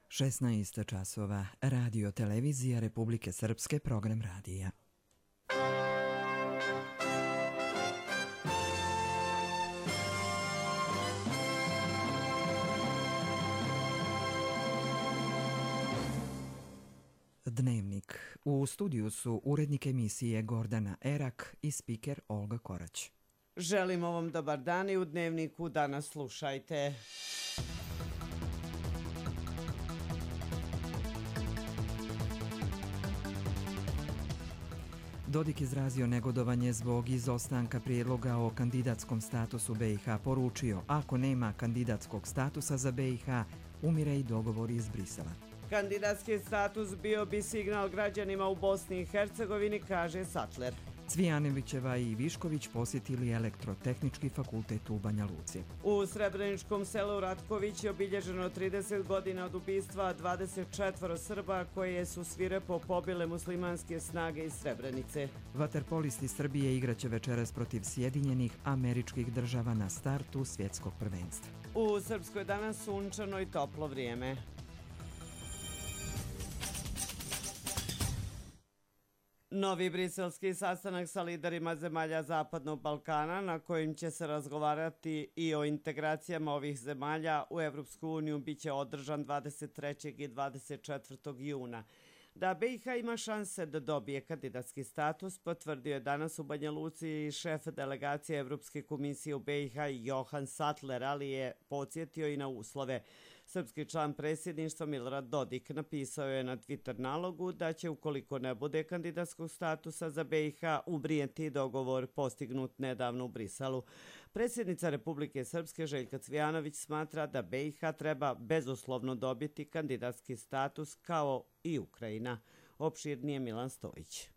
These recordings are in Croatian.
16 časova, Radio Televizija Republike Srpske, program radija. Dnevnik. U studiju su urednik emisije Gordana Erak i spiker Olga Korać. Želimo vam dobar dan i u Dnevniku danas slušajte. Dodik izrazio negodovanje zbog izostanka prijedloga o kandidatskom statusu BiH, poručio: ako nema kandidatskog statusa za BiH, umire i dogovor iz Brisela. Kandidatski status bio bi signal građanima u Bosni i Hercegovini, kaže Sattler. Cvijanovićeva i Višković posjetili Elektrotehnički fakultet u Banja Luci. U Srebreničkom selu Ratković je obilježeno 30 godina od ubistva 24 Srba koje su svirepo pobile muslimanske snage iz Srebrenice. Vaterpolisti Srbije igraće večeras protiv Sjedinjenih Američkih Država na startu svjetskog prvenstva. U Srpskoj danas sunčano i toplo vrijeme. Novi briselski sastanak sa liderima zemalja Zapadnog Balkana, na kojim će se razgovarati i o integracijama ovih zemalja u Evropsku uniju, bit će održan 23. i 24. juna. Da BiH ima šanse da dobije kandidatski status, potvrdio je danas u Banja Luci šef delegacije Evropske komisije u BiH Johan Sattler, ali je podsjetio i na uslove. Srpski član predsjedništva Milorad Dodik napisao je na Twitter nalogu da će, ukoliko ne bude kandidatskog statusa za BiH, ubrijeti dogovor postignut nedavno u Briselu. Predsjednica Republike Srpske Željka Cvijanović smatra da BiH treba bezuslovno dobiti kandidatski status kao i Ukrajina. Opširnije Milan Stojić.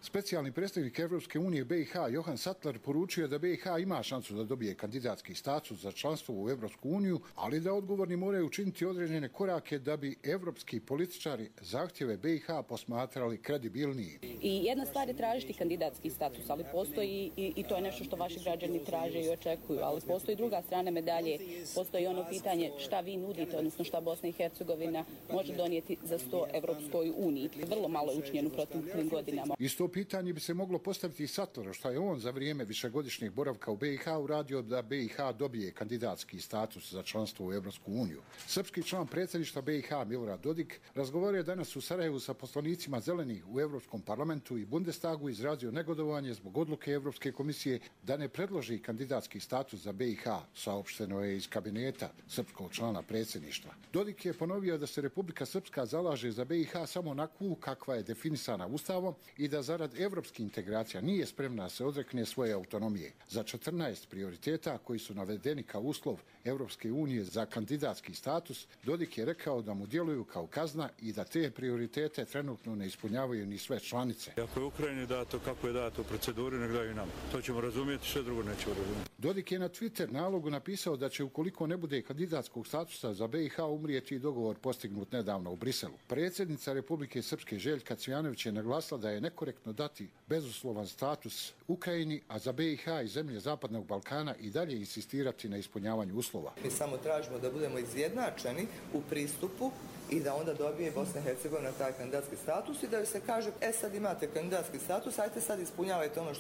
Specijalni predstavnik Evropske unije BiH Johan Sattler poručio da BiH ima šansu da dobije kandidatski status za članstvo u Evropsku uniju, ali da odgovorni moraju učiniti određene korake da bi evropski političari zahtjeve BiH posmatrali kredibilniji. I jedna stvar je tražiti kandidatski status, ali postoji i to je nešto što vaši građani traže i očekuju, ali postoji druga strana medalje, postoji ono pitanje šta vi nudite, odnosno šta Bosna i Hercegovina može donijeti za 100 Evropskoj uniji. Vrlo malo je učinjeno proteklim godinama. To pitanje bi se moglo postaviti i Sattleru, što je on za vrijeme višegodišnjeg boravka u BiH uradio da BiH dobije kandidatski status za članstvo u Evropsku uniju. Srpski član predsjedništva BiH Milorad Dodik razgovorio je danas u Sarajevu sa poslanicima Zelenih u Evropskom parlamentu i Bundestagu, izrazio negodovanje zbog odluke Evropske komisije da ne predloži kandidatski status za BiH, saopšteno je iz kabineta srpskog člana predsjedništva. Dodik je ponovio da se Republika Srpska zalaže za BiH samo onakvu kakva je definisana Ustavom i da zarad evropskih integracija nije spremna da se odrekne svoje autonomije. Za 14 prioriteta koji su navedeni kao uslov Evropske unije za kandidatski status, Dodik je rekao da mu djeluju kao kazna i da te prioritete trenutno ne ispunjavaju ni sve članice. Ako je Ukrajini dato kako je dato u proceduri, nek daju nam. To ćemo razumjeti, sve drugo nećemo razumjeti. Dodik je na Twitter nalogu napisao da će, ukoliko ne bude kandidatskog statusa za BiH, umrijeti i dogovor postignut nedavno u Briselu. Predsjednica Republike Srpske Željka Cvijanović je naglasila da je nekorektno dati bezuslovan status Ukrajini, a za BiH i zemlje Zapadnog Balkana i dalje insistirati na ispunjavanju uslova. Mi samo tražimo da budemo izjednačeni u pristupu i da onda dobije Bosna i Hercegovina taj kandidatski status i da se kaže, sad imate kandidatski status, ajte sad ispunjavajte ono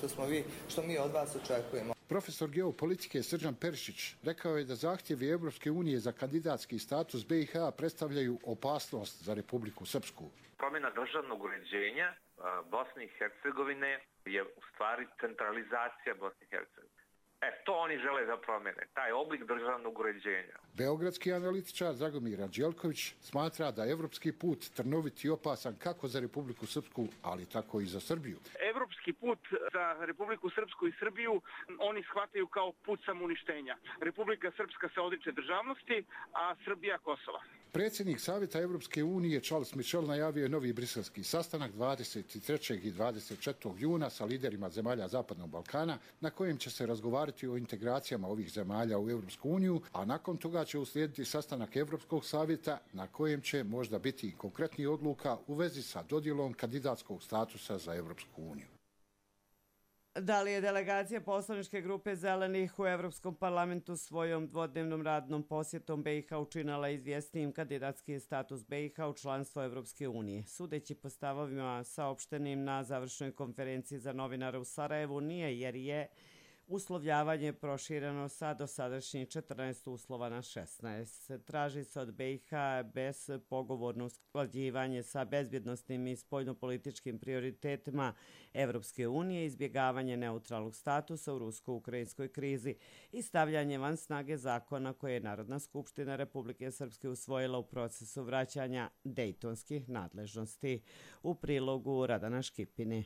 što mi od vas očekujemo. Profesor geopolitike Srđan Perišić rekao je da zahtjevi Evropske unije za kandidatski status BiH predstavljaju opasnost za Republiku Srpsku. Promjena državnog uređenja Bosne i Hercegovine je u stvari centralizacija Bosne i Hercegovine. To oni žele da promjene, taj oblik državnog uređenja. Beogradski analitičar Dragomir Anđelković smatra da evropski put trnovit i opasan kako za Republiku Srpsku, ali tako i za Srbiju. Evropski put za Republiku Srpsku i Srbiju oni shvataju kao put samouništenja. Republika Srpska se odriče državnosti, a Srbija Kosova. Predsjednik Savjeta Evropske unije Charles Michel najavio je novi briselski sastanak 23. i 24. juna sa liderima zemalja Zapadnog Balkana, na kojem će se razgovarati o integracijama ovih zemalja u Evropsku uniju, a nakon toga će uslijediti sastanak Evropskog savjeta na kojem će možda biti i konkretnih odluka u vezi sa dodjelom kandidatskog statusa za Evropsku uniju. Da li je delegacija poslaničke grupe Zelenih u Evropskom parlamentu svojom dvodnevnom radnom posjetom BiH učinila izvjesnijim kandidatski status BiH u članstvo Evropske unije? Sudeći po stavovima saopštenim na završnoj konferenciji za novinare u Sarajevu nije, jer je uslovljavanje prošireno sa dosadašnjih 14 uslova na 16. Traži se od BiH bezpogovorno usklađivanje sa bezbjednosnim i spoljnopolitičkim prioritetima Evropske unije, izbjegavanje neutralnog statusa u rusko-ukrajinskoj krizi i stavljanje van snage zakona koje je Narodna skupština Republike Srpske usvojila u procesu vraćanja dejtonskih nadležnosti. U prilogu Radana Škipini.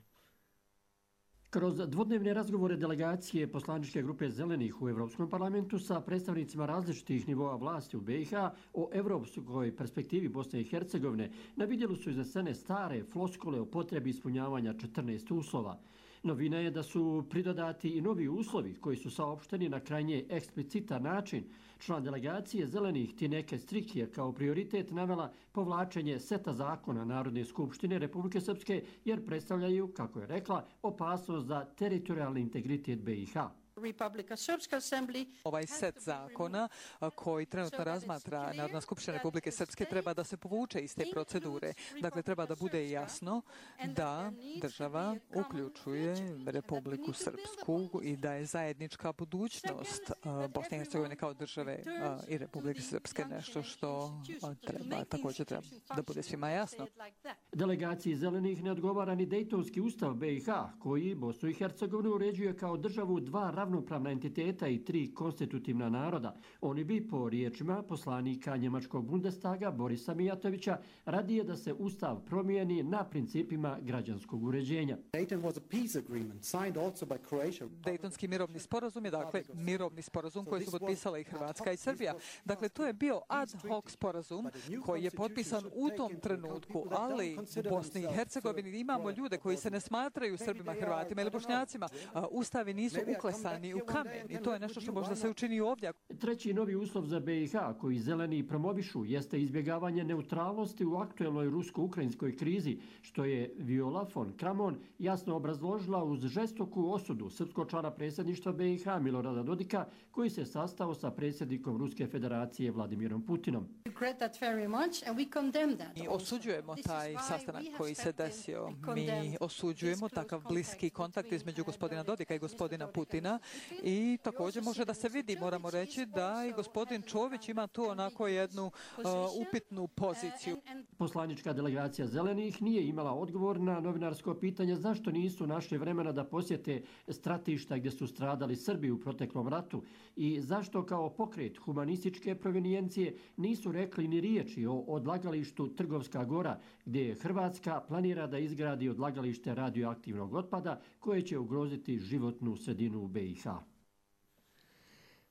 Kroz dvodnevne razgovore delegacije poslaničke grupe Zelenih u Evropskom parlamentu sa predstavnicima različitih nivoa vlasti u BiH o evropskoj perspektivi Bosne i Hercegovine na vidjelu su iznesene stare floskule o potrebi ispunjavanja 14 uslova. Novina je da su pridodati i novi uslovi koji su saopšteni na krajnje eksplicitan način. Član delegacije Zelenih Tineke Strikije kao prioritet navela povlačenje seta zakona Narodne skupštine Republike Srpske jer predstavljaju, kako je rekla, opasnost za teritorijalni integritet BiH. Ovaj set zakona koji trenutno razmatra Narodna skupština Republike Srpske treba da se povuče iz te procedure. Dakle, treba da bude jasno da država uključuje Republiku Srpsku i da je zajednička budućnost Bosne i Hercegovine kao države i Republike Srpske nešto što također treba da bude svima jasno. Delegaciji Zelenih ne odgovara ni Dejtonski ustav BiH koji Bosnu i Hercegovinu uređuje kao državu dva ravnopravna entiteta i tri konstitutivna naroda. Oni bi, po riječima poslanika njemačkog Bundestaga Borisa Mijatovića, radije da se ustav promijeni na principima građanskog uređenja. Dejtonski mirovni sporazum je dakle mirovni sporazum koji su potpisala i Hrvatska i Srbija. Dakle, to je bio ad hoc sporazum koji je potpisan u tom trenutku, ali u Bosni i Hercegovini imamo ljude koji se ne smatraju Srbima, Hrvatima ili Bošnjacima. Ustavi nisu uklesani u kamen i to je nešto što možda se učini ovdje. Treći novi uslov za BiH koji Zeleni promovišu jeste izbjegavanje neutralnosti u aktuelnoj rusko-ukrajinskoj krizi, što je Viola von Kramon jasno obrazložila uz žestoku osudu srpskog člana predsjedništva BiH Milorada Dodika koji se sastao sa predsjednikom Ruske federacije Vladimirom Putinom. Mi osuđujemo taj sastanak koji se desio. Mi osuđujemo takav bliski kontakt između gospodina Dodika i gospodina Putina i također može da se vidi, moramo reći da i gospodin Čović ima tu onako jednu upitnu poziciju. Poslanička delegacija Zelenih nije imala odgovor na novinarsko pitanje zašto nisu našli vremena da posjete stratišta gdje su stradali Srbi u proteklom ratu i zašto kao pokret humanističke provenijencije nisu rekli ni riječi o odlagalištu Trgovska Gora gdje Hrvatska planira da izgradi odlagalište radioaktivnog otpada koje će ugroziti životnu sredinu u BiH.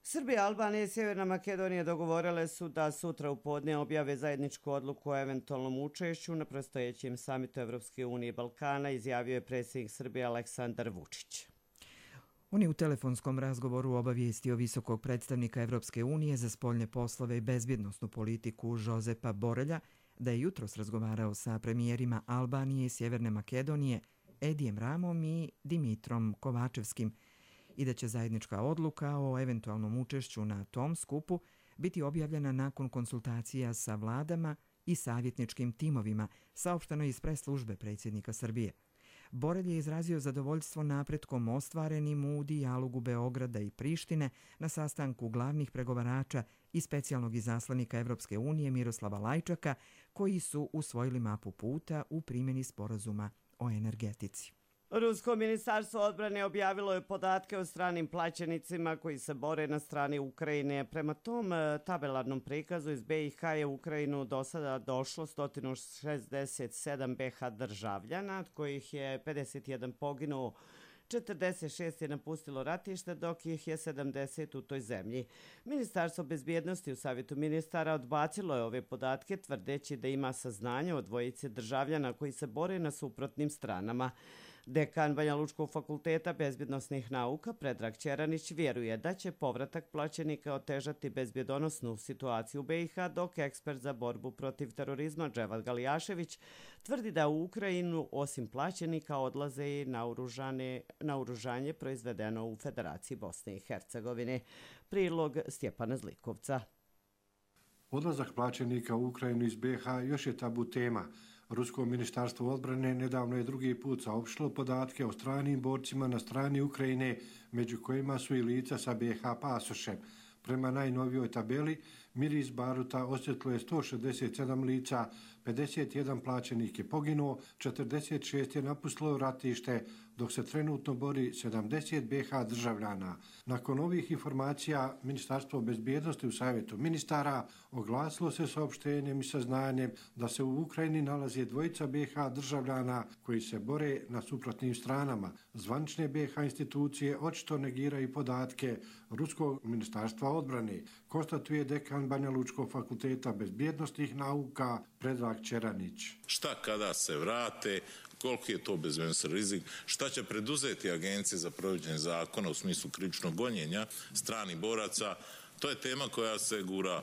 Srbija, Albanija i Sjeverna Makedonija dogovorile su da sutra u podne objave zajedničku odluku o eventualnom učešću na predstojećem samitu Evropske unije i Balkana, izjavio je predsjednik Srbije Aleksandar Vučić. On je u telefonskom razgovoru obavijestio visokog predstavnika Evropske unije za spoljne poslove i bezbjednosnu politiku Jozepa Borelja da je jutros razgovarao sa premijerima Albanije i Sjeverne Makedonije Edijem Ramom i Dimitrom Kovačevskim i da će zajednička odluka o eventualnom učešću na tom skupu biti objavljena nakon konsultacija sa vladama i savjetničkim timovima, saopšteno iz pres službe predsjednika Srbije. Borelj je izrazio zadovoljstvo napretkom ostvarenim u dijalogu Beograda i Prištine na sastanku glavnih pregovarača i specijalnog izaslanika Evropske unije Miroslava Lajčaka, koji su usvojili mapu puta u primjeni sporazuma o energetici. Rusko ministarstvo odbrane objavilo je podatke o stranim plaćenicima koji se bore na strani Ukrajine. Prema tom tabelarnom prikazu iz BiH je u Ukrajinu do sada došlo 167 BiH državljana, od kojih je 51 poginuo, 46 je napustilo ratište, dok ih je 70 u toj zemlji. Ministarstvo bezbjednosti u Savjetu ministara odbacilo je ove podatke, tvrdeći da ima saznanje o dvojici državljana koji se bore na suprotnim stranama. Dekan Banja Lučkog fakulteta bezbjednosnih nauka Predrag Ćeranić vjeruje da će povratak plaćenika otežati bezbjedonosnu situaciju u BiH, dok ekspert za borbu protiv terorizma Dževad Galijašević tvrdi da u Ukrajinu osim plaćenika odlaze i naoružanje proizvedeno u Federaciji Bosne i Hercegovine. Prilog Stjepana Zlikovca. Odlazak plaćenika u Ukrajinu iz BiH još je tabu tema. Rusko ministarstvo odbrane nedavno je drugi put saopštilo podatke o stranim borcima na strani Ukrajine, među kojima su i lica sa BiH pasošem. Prema najnovijoj tabeli, Miris Baruta osjetilo je 167 lica, 51 plaćenik je poginuo, 46 je napustilo ratište, dok se trenutno bori 70 BiH državljana. Nakon ovih informacija, Ministarstvo bezbjednosti u Savjetu ministara oglasilo se saopštenjem i saznanjem da se u Ukrajini nalaze dvojica BiH državljana koji se bore na suprotnim stranama. Zvanične BiH institucije očito negiraju podatke Ruskog ministarstva odbrane, konstatuje dekan Banja Lučkog fakulteta bezbjednostnih nauka Predrag Ćeranić. Šta kada se vrate, koliki je to bezbjednosni rizik, šta će preduzeti agencije za provođenje zakona u smislu krivičnog gonjenja stranih boraca, to je tema koja se gura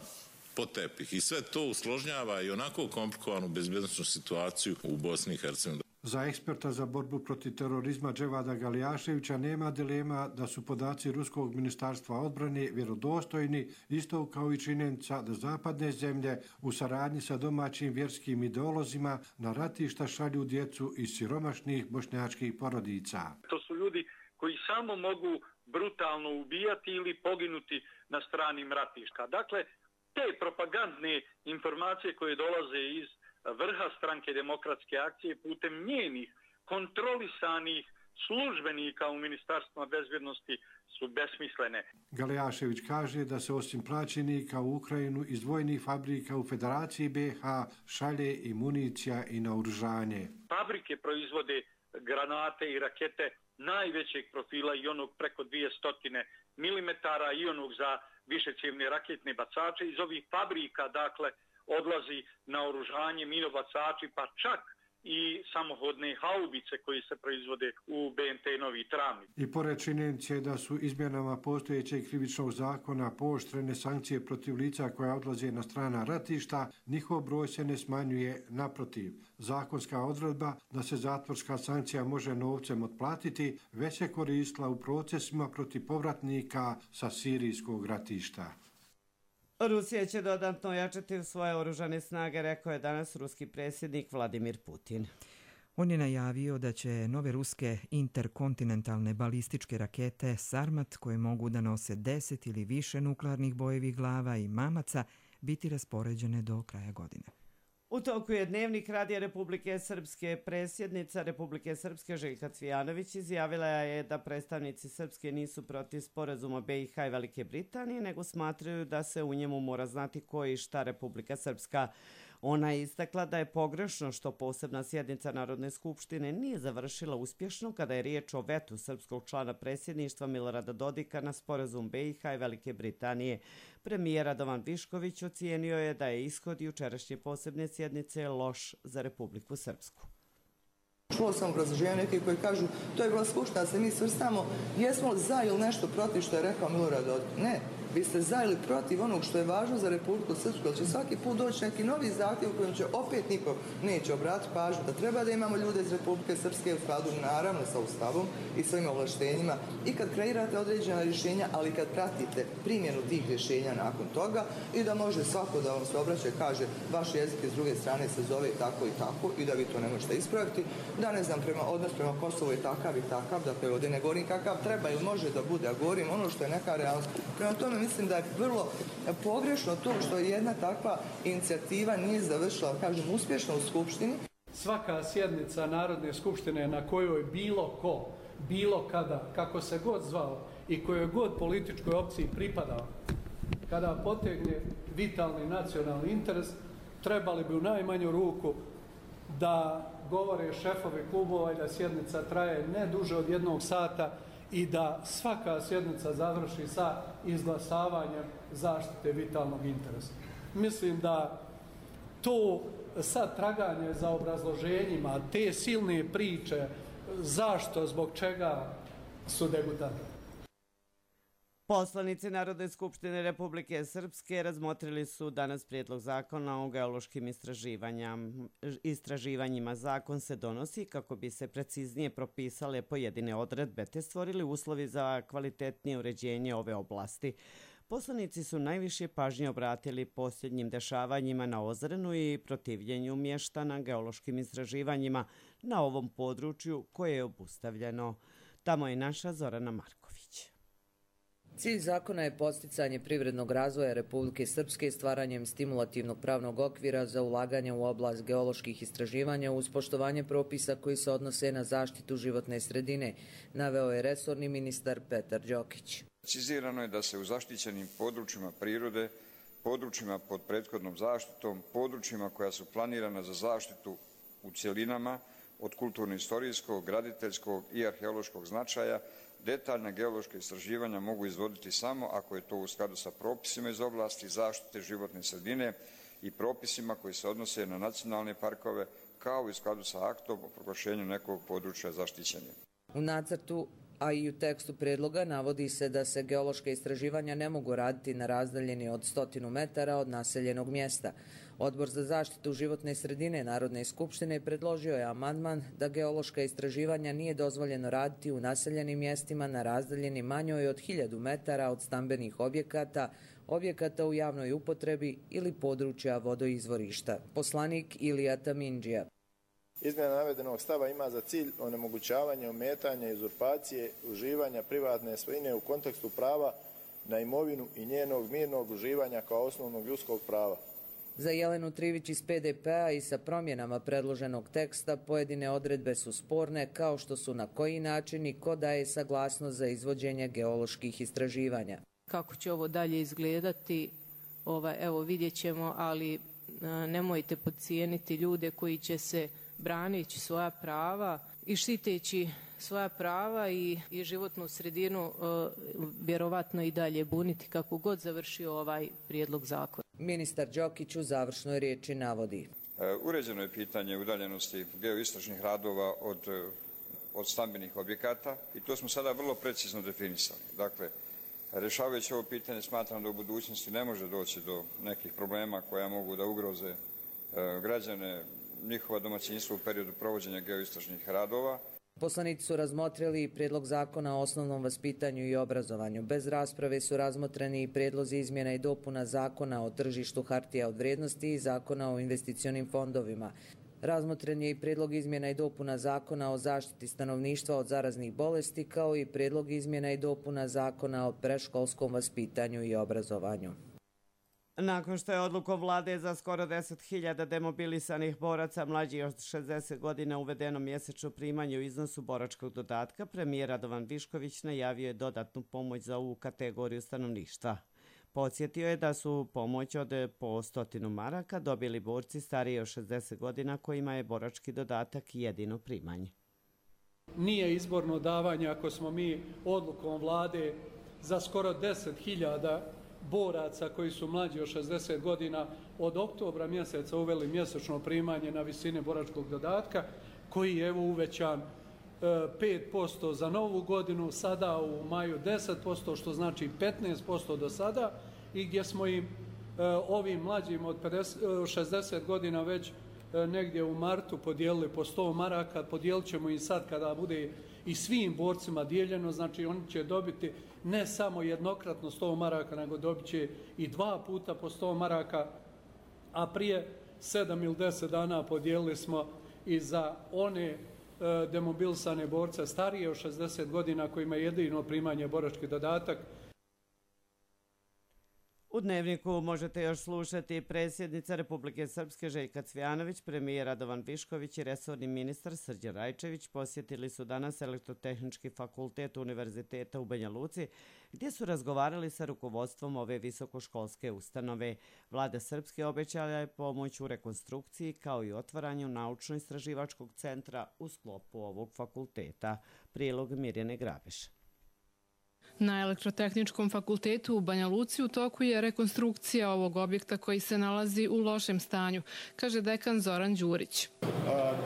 pod tepih i sve to usložnjava i onako komplikovanu bezbjednosnu situaciju u Bosni i Hercegovini. Za eksperta za borbu protiv terorizma Dževada Galijaševića nema dilema da su podaci Ruskog ministarstva odbrane vjerodostojni, isto kao i činjenica da zapadne zemlje u saradnji sa domaćim vjerskim ideolozima na ratišta šalju djecu iz siromašnih bošnjačkih porodica. To su ljudi koji samo mogu brutalno ubijati ili poginuti na stranim ratišta. Dakle, te propagandne informacije koje dolaze iz vrha stranke Demokratske akcije putem njenih kontrolisanih službenika u Ministarstvima bezbjednosti su besmislene. Galijašević kaže da se osim plaćenika u Ukrajinu iz vojnih fabrika u Federaciji BiH šalje i municija i naoružanje. Fabrike proizvode granate i rakete najvećeg profila i onog preko 200 mm i onog za višecjevne raketne bacače. Iz ovih fabrika, dakle, odlazi naoružanje, minobacači, pa čak i samohodne haubice koji se proizvode u BNT Novi Travnik. I pored činjenice da su izmjenama postojećeg krivičnog zakona pooštrene sankcije protiv lica koja odlaze na strana ratišta, njihov broj se ne smanjuje, naprotiv. Zakonska odredba da se zatvorska sankcija može novcem otplatiti već se koristila u procesima protiv povratnika sa sirijskog ratišta. Rusija će dodatno ojačati svoje oružane snage, rekao je danas ruski predsjednik Vladimir Putin. On je najavio da će nove ruske interkontinentalne balističke rakete Sarmat, koje mogu da nose 10 ili više nuklearnih bojevih glava i mamaca, biti raspoređene do kraja godine. U toku je Dnevnik Radija Republike Srpske. Predsjednica Republike Srpske Željka Cvijanović izjavila je da predstavnici Srpske nisu protiv sporazuma BiH i Velike Britanije, nego smatraju da se u njemu mora znati ko i šta Republika Srpska. Ona je istakla da je pogrešno što posebna sjednica Narodne skupštine nije završila uspješno kada je riječ o vetu srpskog člana predsjedništva Milorada Dodika na sporazum BiH i Velike Britanije. Premijer Radovan Višković ocijenio je da je ishod jučerašnje posebne sjednice loš za Republiku Srpsku. Čuo sam obrazloženja neki koji kažu to je bila skupština da se mi svrstamo, jesmo li za ili nešto protiv što je rekao Milorad Dodik. Ne, vi ste za ili protiv onog što je važno za Republiku Srpsku, jer će svaki put doći neki novi zahtjev u kojem će opet niko neće obratiti pažnju da treba da imamo ljude iz Republike Srpske u skladu naravno sa Ustavom i svojim ovlaštenjima i kad kreirate određena rješenja, ali kad pratite primjenu tih rješenja nakon toga i da može svako da vam se obraća i kaže vaš jezik iz druge strane se zove tako i tako i da vi to ne možete ispraviti, da ne znam, odnos prema Kosovu je takav i takav, dakle ovdje ne govorim kakav treba ili može da bude, a govorim ono što je neka realnost. Prema tome mislim da je vrlo pogrešno to što jedna takva inicijativa nije završila, kažem, uspješno u Skupštini. Svaka sjednica Narodne skupštine na kojoj bilo ko, bilo kada, kako se god zvao i kojoj god političkoj opciji pripadao, kada potegne vitalni nacionalni interes, trebali bi u najmanju ruku da govore šefovi klubova i da sjednica traje ne duže od 1 sata i da svaka sjednica završi sa izglasavanjem zaštite vitalnog interesa. Mislim da to sad traganje za obrazloženjima, te silne priče zašto, zbog čega su degutanti. Poslanici Narodne skupštine Republike Srpske razmotrili su danas prijedlog zakona o geološkim istraživanjima. Zakon se donosi kako bi se preciznije propisale pojedine odredbe te stvorili uslovi za kvalitetnije uređenje ove oblasti. Poslanici su najviše pažnje obratili posljednjim dešavanjima na Ozrenu i protivljenju mještana geološkim istraživanjima na ovom području koje je obustavljeno. Tamo je naša Zorana Marković. Cilj zakona je podsticanje privrednog razvoja Republike Srpske stvaranjem stimulativnog pravnog okvira za ulaganje u oblast geoloških istraživanja uz poštovanje propisa koji se odnose na zaštitu životne sredine, naveo je resorni ministar Petar Đokić. Precizirano je da se u zaštićenim područjima prirode, područjima pod prethodnom zaštitom, područjima koja su planirana za zaštitu u cjelinama od kulturno-istorijskog, graditeljskog i arheološkog značaja, detaljna geološka istraživanja mogu izvoditi samo ako je to u skladu sa propisima iz oblasti zaštite životne sredine i propisima koji se odnose na nacionalne parkove, kao i u skladu sa aktom o proglašenju nekog područja zaštićenja. U nacrtu, a i u tekstu predloga navodi se da se geološka istraživanja ne mogu raditi na razdaljini od 100 metara od naseljenog mjesta. Odbor za zaštitu životne sredine Narodne skupštine predložio je amandman da geološka istraživanja nije dozvoljeno raditi u naseljenim mjestima na razdaljini manjoj od 1000 metara od stambenih objekata, objekata u javnoj upotrebi ili područja vodoizvorišta. Poslanik Ilija Tamindžija. Izmjena navedenog stava ima za cilj onemogućavanje, ometanja, uzurpacije, uživanja privatne svojine u kontekstu prava na imovinu i njenog mirnog uživanja kao osnovnog ljudskog prava. Za Jelenu Trivić iz PDP-a i sa promjenama predloženog teksta pojedine odredbe su sporne, kao što su na koji način i ko daje saglasnost za izvođenje geoloških istraživanja. Kako će ovo dalje izgledati, evo vidjet ćemo, ali nemojte podcijeniti ljude koji će se braneći svoja prava i štiteći svoja prava i životnu sredinu vjerovatno i dalje buniti kako god završio ovaj prijedlog zakona. Ministar Đokić u završnoj riječi navodi. Uređeno je pitanje udaljenosti geoistražnih radova od stambenih objekata i to smo sada vrlo precizno definisali. Dakle, rješavajući ovo pitanje smatram da u budućnosti ne može doći do nekih problema koja mogu da ugroze građane, njihova domaćinstva u periodu provođenja geoistražnih radova. Poslanici su razmotrili i prijedlog zakona o osnovnom vaspitanju i obrazovanju. Bez rasprave su razmotreni i prijedlozi izmjena i dopuna zakona o tržištu hartija od vrijednosti i zakona o investicionim fondovima. Razmotren je i prijedlog izmjena i dopuna zakona o zaštiti stanovništva od zaraznih bolesti, kao i prijedlog izmjena i dopuna zakona o predškolskom vaspitanju i obrazovanju. Nakon što je odlukom vlade za skoro 10.000 demobilisanih boraca mlađih od 60 godina uvedeno mjesečno primanje u iznosu boračkog dodatka, premijer Radovan Višković najavio je dodatnu pomoć za ovu kategoriju stanovništva. Podsjetio je da su pomoć od po 100 maraka dobili borci stariji od 60 godina kojima je borački dodatak jedino primanje. Nije izborno davanje ako smo mi odlukom vlade za skoro 10.000 boraca koji su mlađi od 60 godina od oktobra mjeseca uveli mjesečno primanje na visine boračkog dodatka, koji je evo uvećan 5% za novu godinu, sada u maju 10%, što znači 15% do sada, i gdje smo im ovim mlađim od 60 godina već negdje u martu podijelili po 100 maraka, podijelit ćemo im sad kada bude i svim borcima dijeljeno, znači oni će dobiti ne samo jednokratno 100 maraka, nego dobit će i 2 puta po 100 maraka, a prije 7 ili 10 dana podijelili smo i za one demobilisane borce starije od 60 godina kojima je jedino primanje borački dodatak. U Dnevniku možete još slušati predsjednica Republike Srpske Željka Cvijanović, premijer Radovan Višković i resorni ministar Srđan Rajčević posjetili su danas Elektrotehnički fakultet Univerziteta u Banja Luci, gdje su razgovarali sa rukovodstvom ove visokoškolske ustanove. Vlada Srpske obećala je pomoć u rekonstrukciji kao i otvaranju naučno-istraživačkog centra u sklopu ovog fakulteta. Prilog Mirjane Grabeš. Na Elektrotehničkom fakultetu u Banja Luci u toku je rekonstrukcija ovog objekta koji se nalazi u lošem stanju, kaže dekan Zoran Đurić.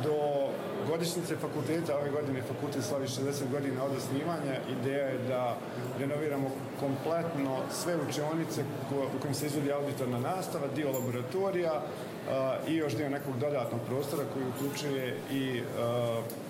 Do godišnjice fakulteta. Ove godine fakultet slavi 60 godina od osnivanja. Ideja je da renoviramo kompletno sve učionice u kojim se izvodi auditorna nastava, dio laboratorija i još dio nekog dodatnog prostora koji uključuje i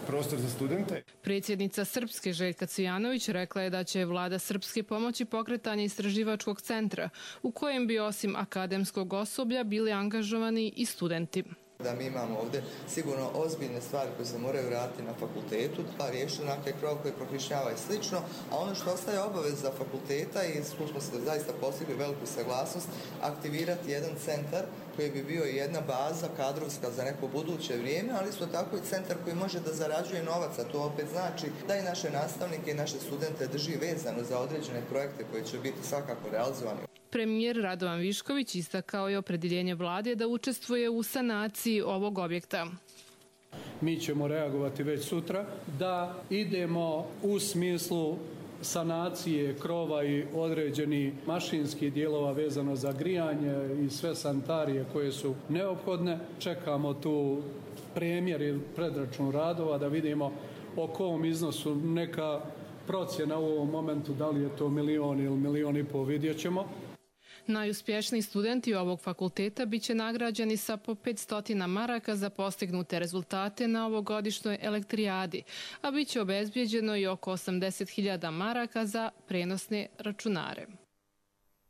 prostor za studente. Predsjednica Srpske Željka Cvijanović rekla je da će vlada Srpske pomoći pokretanje istraživačkog centra u kojem bi osim akademskog osoblja bili angažovani i studenti. Da mi imamo ovdje sigurno ozbiljne stvari koje se moraju raditi na fakultetu, pa riješiti onakve krov koje prokišnjava i slično, a ono što ostaje obaveza fakulteta i tu smo se zaista postigli veliku saglasnost, aktivirati jedan centar koji bi bio jedna baza kadrovska za neko buduće vrijeme, ali isto tako i centar koji može da zarađuje novac, a to opet znači da i naše nastavnike i naše studente drži vezano za određene projekte koji će biti svakako realizovani. Premijer Radovan Višković istakao je opredjeljenje vlade da učestvuje u sanaciji ovog objekta. Mi ćemo reagovati već sutra da idemo u smislu sanacije krova i određenih mašinskih dijelova vezano za grijanje i sve sanitarije koje su neophodne. Čekamo tu premjer ili predračun radova da vidimo o kom iznosu, neka procjena u ovom momentu, da li je to 1 milion ili 1,5 miliona, vidjet ćemo. Najuspješniji studenti ovog fakulteta biće nagrađeni sa po 500 maraka za postignute rezultate na ovogodišnjoj elektrijadi, a biće obezbijeđeno i oko 80.000 maraka za prenosne računare.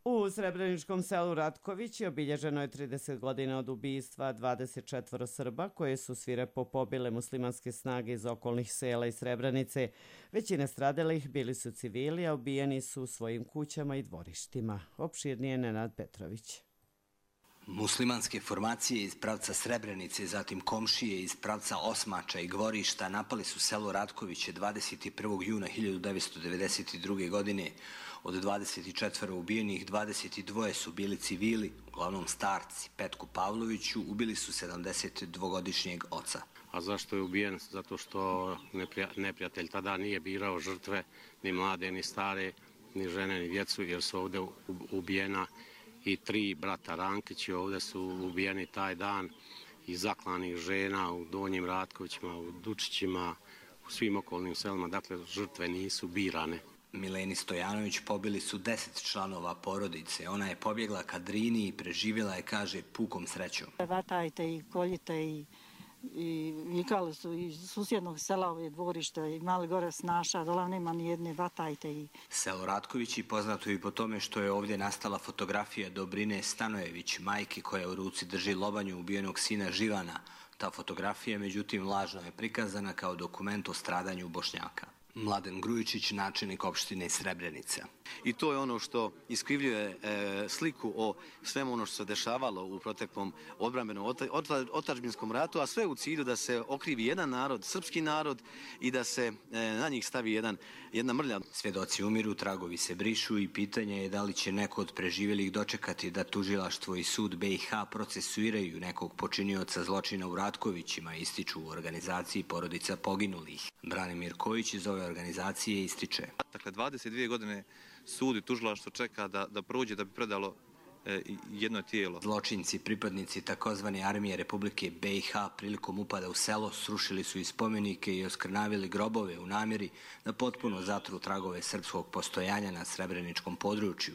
U srebreničkom selu Ratković obilježeno je 30 godina od ubistva 24 Srba koje su svirepo pobile muslimanske snage iz okolnih sela i Srebrenice. Većina stradalih bili su civili, a ubijeni su u svojim kućama i dvorištima. Opširnije Nenad Petrović. Muslimanske formacije iz pravca Srebrenice, zatim komšije iz pravca Osmača i Gvorišta napali su selo Ratkoviće 21. juna 1992. godine. Od 24 ubijenih, 22 su bili civili, uglavnom starci. Petku Pavloviću ubili su 72-godišnjeg oca. A zašto je ubijen? Zato što neprijatelj tada nije birao žrtve, ni mlade, ni stare, ni žene, ni djecu, jer su ovdje ubijena i 3 brata Rankići. Ovdje su ubijeni taj dan i zaklanih žena u Donjim Ratkovićima, u Dučićima, u svim okolnim selima. Dakle, žrtve nisu birane. Mileni Stojanović pobili su 10 članova porodice. Ona je pobjegla ka Drini i preživjela je, kaže, pukom srećom. Vatajte i koljite i vikali su iz susjednog sela ove dvorište i mali gore snaša, dole nema ni jedne, vatajte. Selo Ratkovići poznato i po tome što je ovdje nastala fotografija Dobrine Stanojević, majke koja u ruci drži lobanju ubijenog sina Živana. Ta fotografija, međutim, lažno je prikazana kao dokument o stradanju Bošnjaka. Mladen Grujičić, načelnik opštine Srebrenica. I to je ono što iskrivljuje sliku o svemu ono što se dešavalo u proteklom odbrambenom otadžbinskom ratu, a sve u cilju da se okrivi jedan narod, srpski narod, i da se na njih stavi jedna mrlja. Svjedoci umiru, tragovi se brišu i pitanje je da li će neko od preživjelih dočekati da tužilaštvo i sud BiH procesuiraju nekog počinioca zločina u Ratkovićima, ističu u organizaciji porodica poginulih. Branimir Kojić iz ove organizacije ističe. Dakle, 22 godine sud i tužilaštvo čeka da prođe da bi predalo jedno tijelo. Zločinci, pripadnici takozvane armije Republike BiH prilikom upada u selo srušili su i spomenike i oskrnavili grobove u namjeri da potpuno zatru tragove srpskog postojanja na srebreničkom području.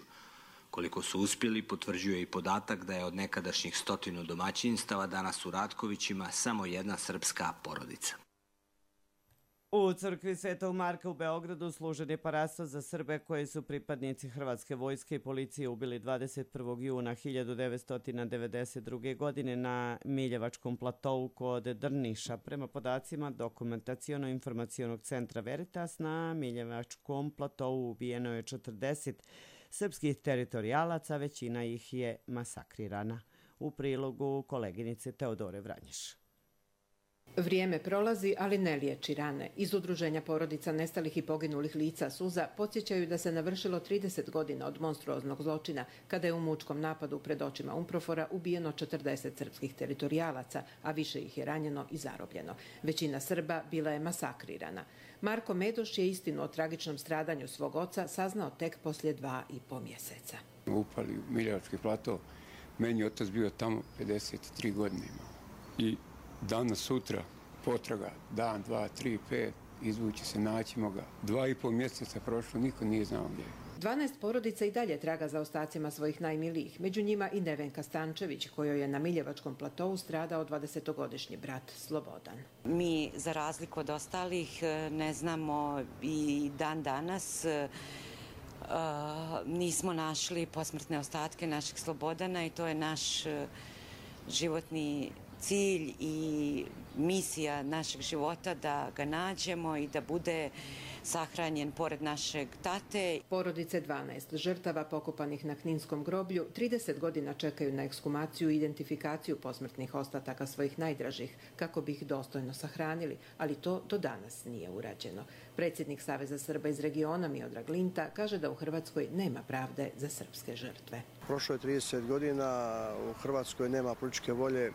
Koliko su uspjeli, potvrđuje i podatak da je od nekadašnjih 100 domaćinstava danas u Ratkovićima samo jedna srpska porodica. U crkvi Svetog Marka u Beogradu služen je parasto za Srbe koji su pripadnici Hrvatske vojske i policije ubili 21. juna 1992. godine na Miljevačkom platovu kod Drniša. Prema podacima Dokumentaciono-informacionog centra Veritas, na Miljevačkom platovu ubijeno je 40 srpskih teritorijalaca, većina ih je masakrirana. U prilogu koleginice Teodore Vranješ. Vrijeme prolazi, ali ne liječi rane. Iz udruženja porodica nestalih i poginulih lica Suza podsjećaju da se navršilo 30 godina od monstruoznog zločina, kada je u mučkom napadu pred očima Umprofora ubijeno 40 srpskih teritorijalaca, a više ih je ranjeno i zarobljeno. Većina Srba bila je masakrirana. Marko Medoš je istinu o tragičnom stradanju svog oca saznao tek poslije 2,5 mjeseca. Upali u Miljevački plato, meni je otac bio tamo 53 godine imao. I danas, sutra, potraga, dan, 2, 3, 5, izvući se, naćemo ga. 2,5 mjeseca prošlo, niko nije znao gdje je. 12 porodica i dalje traga za ostacima svojih najmilijih, među njima i Nevenka Stančević, kojoj je na Miljevačkom platovu stradao 20-godišnji brat Slobodan. Mi, za razliku od ostalih, ne znamo i dan danas, nismo našli posmrtne ostatke naših Slobodana i to je naš životni cilj i misija našeg života da ga nađemo i da bude sahranjen pored našeg tate. Porodice 12 žrtava pokopanih na Kninskom groblju 30 godina čekaju na ekshumaciju i identifikaciju posmrtnih ostataka svojih najdražih kako bi ih dostojno sahranili, ali to do danas nije urađeno. Predsjednik Saveza Srba iz regiona Miodrag Linta kaže da u Hrvatskoj nema pravde za srpske žrtve. Prošlo je 30 godina, u Hrvatskoj nema političke volje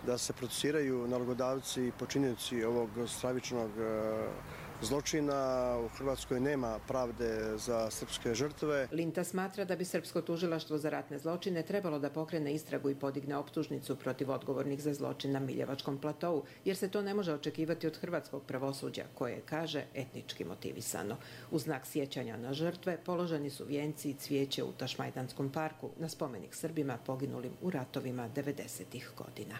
da se procesuiraju nalogodavci i počinioci ovog stravičnog zločina. U Hrvatskoj nema pravde za srpske žrtve. Linta smatra da bi Srpsko tužilaštvo za ratne zločine trebalo da pokrene istragu i podigne optužnicu protiv odgovornih za zločin na Miljevačkom platovu, jer se to ne može očekivati od hrvatskog pravosuđa, koje kaže etnički motivisano. U znak sjećanja na žrtve položeni su vijenci i cvijeće u Tašmajdanskom parku na spomenik Srbima poginulim u ratovima 90-ih godina.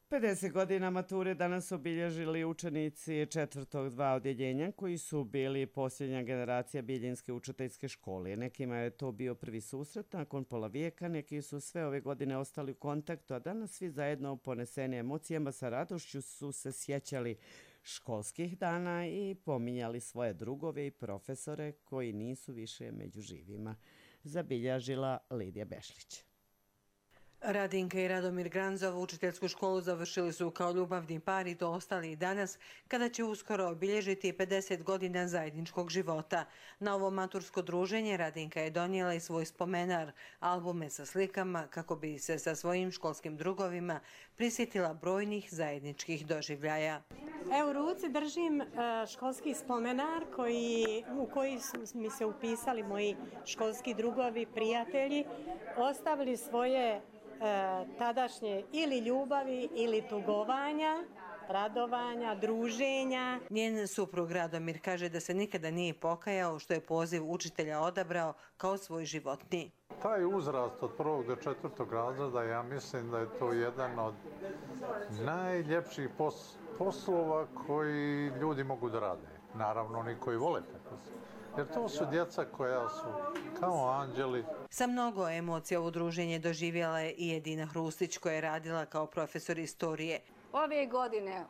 Pedeset godina mature danas obilježili učenici 4. 2 odjeljenja koji su bili posljednja generacija Bijeljinske učiteljske škole. Nekima je to bio prvi susret nakon pola vijeka, neki su sve ove godine ostali u kontaktu, a danas svi zajedno poneseni emocijama sa radošću su se sjećali školskih dana i pominjali svoje drugove i profesore koji nisu više među živima. Zabilježila Lidija Bešlić. Radinka i Radomir Granzov učiteljsku školu završili su kao ljubavni par i to ostali i danas, kada će uskoro obilježiti 50 godina zajedničkog života. Na ovo matursko druženje Radinka je donijela i svoj spomenar, albume sa slikama, kako bi se sa svojim školskim drugovima prisjetila brojnih zajedničkih doživljaja. Evo, u ruci držim školski spomenar u koji su mi se upisali moji školski drugovi, prijatelji, ostavili svoje tadašnje ili ljubavi ili tugovanja, radovanja, druženja. Njen suprug Radomir kaže da se nikada nije pokajao što je poziv učitelja odabrao kao svoj životni. Taj uzrast od 1. do 4. razreda, ja mislim da je to jedan od najljepših poslova koji ljudi mogu da rade. Naravno, oni koji vole tako se. Jer to su djeca koja su kao anđeli. Sa mnogo emocija u druženje doživjela je i Edina Hrustić, koja je radila kao profesor istorije. Ove godine,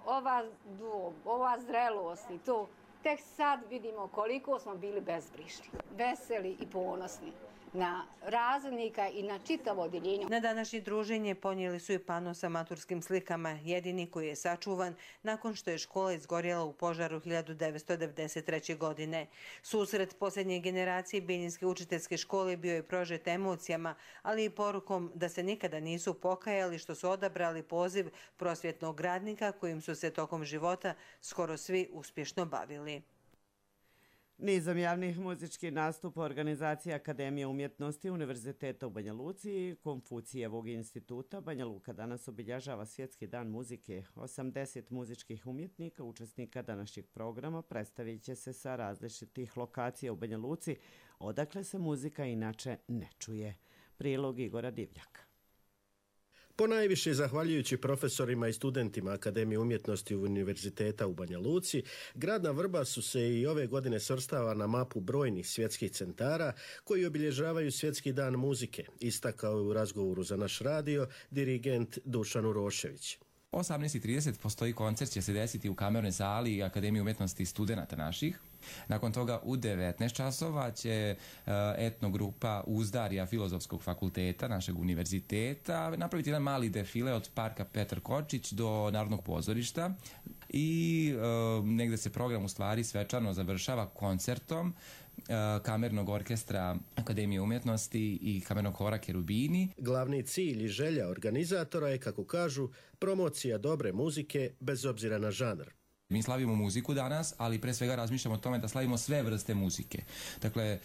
ova zrelost i to, tek sad vidimo koliko smo bili bezbrižni, veseli i ponosni na razrednika i na čitavo odjeljenje. Na današnje druženje ponijeli su i pano sa maturskim slikama, jedini koji je sačuvan nakon što je škola izgorjela u požaru 1993. godine. Susret posljednje generacije Bijeljinske učiteljske škole bio je prožet emocijama, ali i porukom da se nikada nisu pokajali što su odabrali poziv prosvjetnog radnika kojim su se tokom života skoro svi uspješno bavili. Nizom javnih muzičkih nastupa organizacija Akademije umjetnosti Univerziteta u Banja Luci i Konfucijevog instituta Banja Luka danas obilježava Svjetski dan muzike. 80 muzičkih umjetnika, učesnika današnjeg programa, predstavit će se sa različitih lokacija u Banja Luci, odakle se muzika inače ne čuje. Prilog Igora Divljaka. Ponajviše zahvaljujući profesorima i studentima Akademije umjetnosti Univerziteta u Banja Luci, grad na Vrbasu se i ove godine svrstava na mapu brojnih svjetskih centara koji obilježavaju Svjetski dan muzike, istakao je u razgovoru za naš radio dirigent Dušan Urošević. 18:30 postoji koncert, će se desiti u kamernoj sali Akademije umjetnosti studenata naših. Nakon toga u 19 časova će etnogrupa Uzdarja Filozofskog fakulteta našeg univerziteta napraviti jedan mali defile od parka Petar Kočić do Narodnog pozorišta i negde se program u stvari svečano završava koncertom kamernog orkestra Akademije umjetnosti i kamernog hora Kerubini. Glavni cilj i želja organizatora je, kako kažu, promocija dobre muzike bez obzira na žanr. Mi slavimo muziku danas, ali pre svega razmišljamo o tome da slavimo sve vrste muzike. Dakle,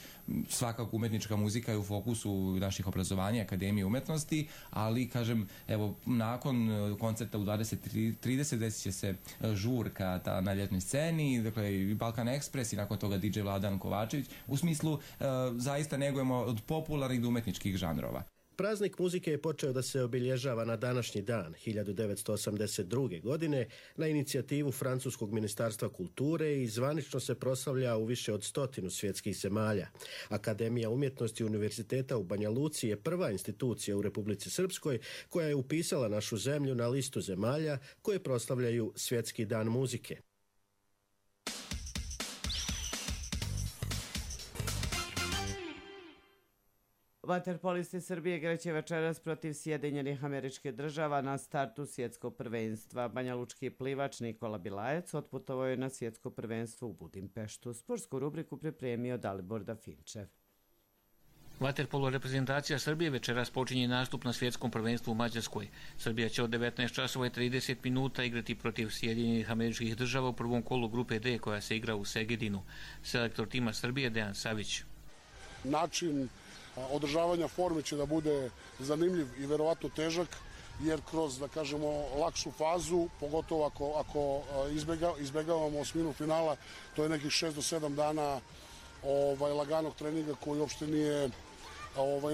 svakako umetnička muzika je u fokusu naših obrazovanja, Akademije umetnosti, ali, kažem, evo, nakon koncerta u 20:30 desit će se žurka na ljetnoj sceni, dakle, i Balkan Ekspres i nakon toga DJ Vladan Kovačević. U smislu, zaista negujemo od popularnih do umetničkih žanrova. Praznik muzike je počeo da se obilježava na današnji dan, 1982. godine, na inicijativu Francuskog ministarstva kulture i zvanično se proslavlja u više od 100 svjetskih zemalja. Akademija umjetnosti Univerziteta u Banja Luci je prva institucija u Republici Srpskoj koja je upisala našu zemlju na listu zemalja koje proslavljaju Svjetski dan muzike. Vaterpolisti Srbije igraće večeras protiv Sjedinjenih Američkih Država na startu svjetskog prvenstva. Banjalučki plivač Nikola Bilajec otputovao je na svjetsko prvenstvo u Budimpeštu. Sportsku rubriku pripremio Dalibor Dafinčev. Vaterpolo reprezentacija Srbije večeras počinje nastup na svjetskom prvenstvu u Mađarskoj. Srbija će od 19:30 igrati protiv Sjedinjenih Američkih Država u prvom kolu grupe D koja se igra u Segedinu. Selektor tima Srbije Dejan Savić. Način održavanja forme će da bude zanimljiv i verovatno težak, jer kroz, da kažemo, lakšu fazu, pogotovo ako izbegavamo osminu finala, to je nekih 6 do 7 dana laganog treninga koji uopšte nije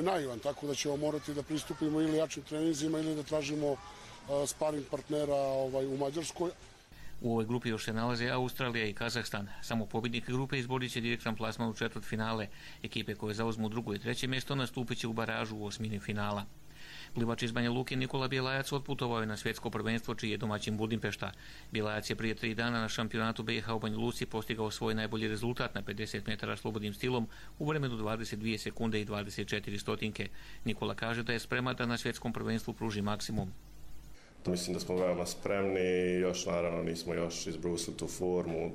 naivan, tako da ćemo morati da pristupimo ili jačim treninzima ili da tražimo sparing partnera u Mađarskoj. U ovoj grupi još se nalaze Australija i Kazahstan. Samo pobjednik grupe izborit će direktan plasman u četvrtfinale. Ekipe koje zauzmu drugo i treće mjesto nastupit će u baražu u osmini finala. Plivač iz Banja Luke Nikola Bjelajac otputovao je na svjetsko prvenstvo čiji je domaćin Budimpešta. Bjelajac je prije 3 dana na šampionatu BiH u Banja Luci postigao svoj najbolji rezultat na 50 metara slobodnim stilom u vremenu 22 sekunde i 24 stotinke. Nikola kaže da je spreman da na svjetskom prvenstvu pruži maksimum. Mislim da smo veoma spremni, još naravno nismo još izbrusili tu formu.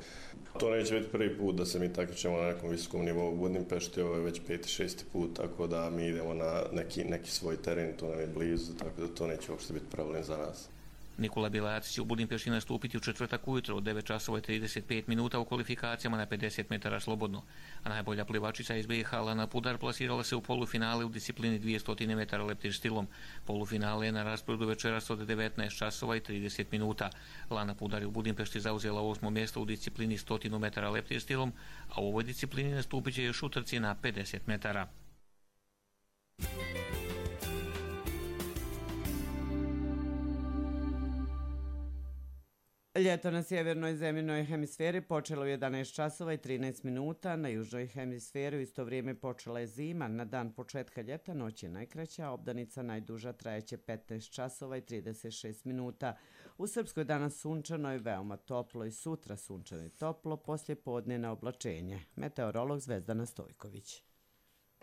To neće biti prvi put da se mi takmičimo na nekom visokom nivou u Budimpešti, ovo je već 5-6 put, tako da mi idemo na neki svoj teren, to nam je blizu, tako da to neće uopšte biti problem za nas. Nikola Bjelajac će u Budimpešti nastupiti u četvrtak ujutro od 9:35 u kvalifikacijama na 50 metara slobodno, a najbolja plivačica iz BiH Lana Pudar plasirala se u polufinale u disciplini 200 metara leptir stilom. Polufinale je na rasporedu večeras od 19:30. Lana Pudar je u Budimpešti zauzela 8. mjesto u disciplini 100 metara leptir stilom, a u ovoj disciplini nastupit će još utrci na 50 metara. Ljeto na sjevernoj zemljinoj hemisferi počelo u 11:13, na južnoj hemisferi u isto vrijeme počela je zima. Na dan početka ljeta noć je najkraća, a obdanica najduža trajeće 15:36. U Srpskoj danas sunčano je veoma toplo i sutra sunčano i toplo, poslije podne na oblačenje. Meteorolog Zvezdana Stojković.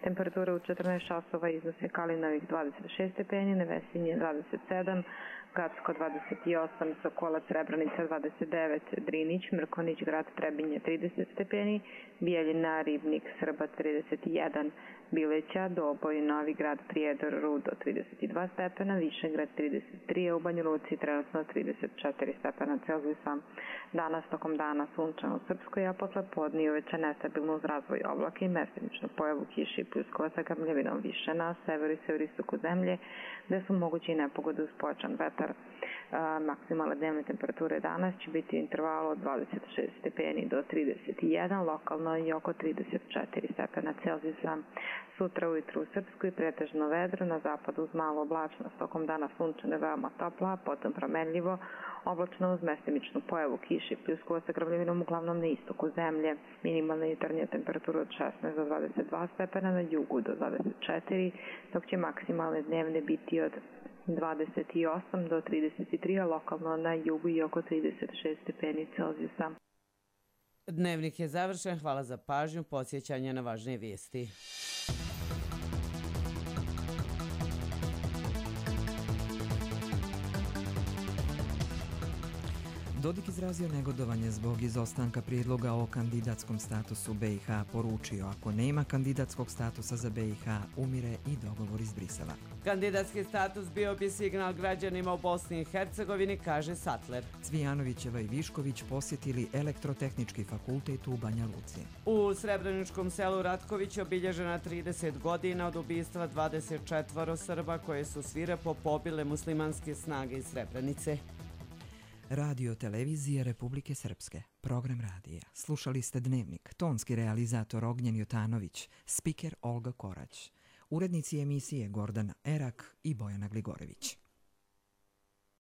Temperatura u 14 časova iznose Kalinovih 26 stepeni, Nevesinje 27, Gacko 28, Sokolac, Srebrenica 29, Drinić, Mrkonić, Grad Trebinje 30 stepeni, Bijeljina, Ribnik, Srba 31, Bileća, Doboj, Novi Grad, Prijedor, Rudo 32 stepena, Višegrad 33, a u Banja Luci trenutno 34 stepena Celzijusa. Danas tokom dana sunčano u Srpskoj, a posle podne i uveče nestabilno uz razvoj oblaka i mestimičnu pojavu kiše i pljuskova sa grmljavinom više na severu i severistoku zemlje, gde su mogući i nepogode uz pojačan vetar. Maksimalne dnevne temperature danas će biti u intervalu od 26 stepeni do 31, lokalno i oko 34 stepena Celzijusa. Sutra ujutru u Srpskoj pretežno vedro, na zapadu uz malo oblačnost, tokom dana sunčano veoma topla, potom promenljivo, oblačno uz mestimičnu pojavu kiše i pljuskova sa grmljavinom uglavnom na istoku zemlje. Minimalna jutarnja temperatura od 16 do 22 stepena, na jugu do 24, dok će maksimalne dnevne biti od 28 do 33, a lokalno na jugu i oko 36 stepeni Celzijusa. Dnevnik je završen, hvala za pažnju, podsjećanje na važnije vijesti. Dodik izrazio negodovanje zbog izostanka prijedloga o kandidatskom statusu BiH, poručio ako nema kandidatskog statusa za BiH, umire i dogovor iz Brisela. Kandidatski status bio bi signal građanima u Bosni i Hercegovini, kaže Sattler. Cvijanovićeva i Višković posjetili Elektrotehnički fakultet u Banja Luci. U Srebreničkom selu Ratković obilježena 30 godina od ubistva 24 Srba koje su svirepo pobile muslimanske snage iz Srebrenice. Radio televizije Republike Srpske, program radija. Slušali ste Dnevnik, tonski realizator Ognjen Jotanović, spiker Olga Korać, urednici emisije Gordana Erak i Bojana Gligorević.